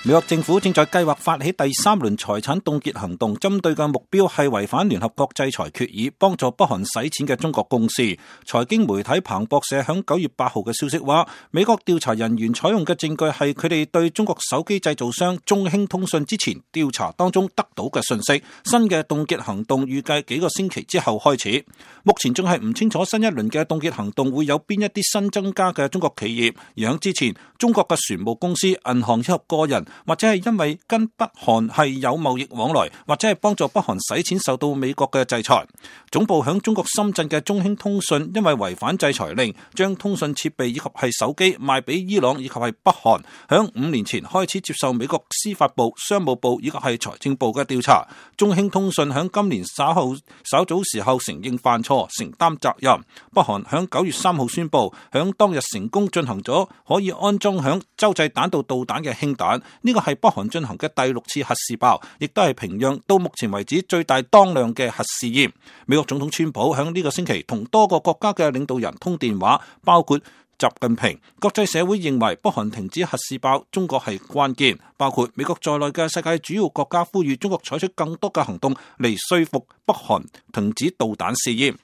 美國政府正在計劃發起第3輪財產凍結行動，針對嘅目標係違反聯合國制裁決議，幫助北韓洗錢嘅中國公司。財經媒體彭博社響9月8號嘅消息話，美國調查人員採用嘅證據係佢哋對中國手機製造商中興通訊之前調查當中得到嘅信息。新嘅凍結行動預計幾個星期之後開始。目前仲係唔清楚新一輪嘅凍結行動會有邊一啲新增加嘅中國企業，而響之前，中國嘅船務公司、銀行以及個人，或者係因為跟北韓係有貿易往來，或者係幫助北韓洗錢受到美國嘅制裁。總部響中國深圳嘅中興通訊因為違反制裁令，將通訊設備以及係手機賣俾伊朗以及係北韓，響5年前開始接受美國司法部、商務部以及係財政部嘅調查。中興通訊響今年稍早時候承認犯錯，承擔責任。北韓響9月3號宣布，響當日成功進行咗可以安裝響洲際彈道導彈嘅氫彈，呢個係北韓進行嘅第6次核試爆，亦都係平壤到目前為止最大當量嘅核試驗。美國總統川普響呢個星期同多個國家嘅領導人通電話，包括習近平。國際社會認為北韓停止核試爆，中國係關鍵，包括美國在內嘅世界主要國家呼籲中國採取更多嘅行動嚟說服北韓停止導彈試驗。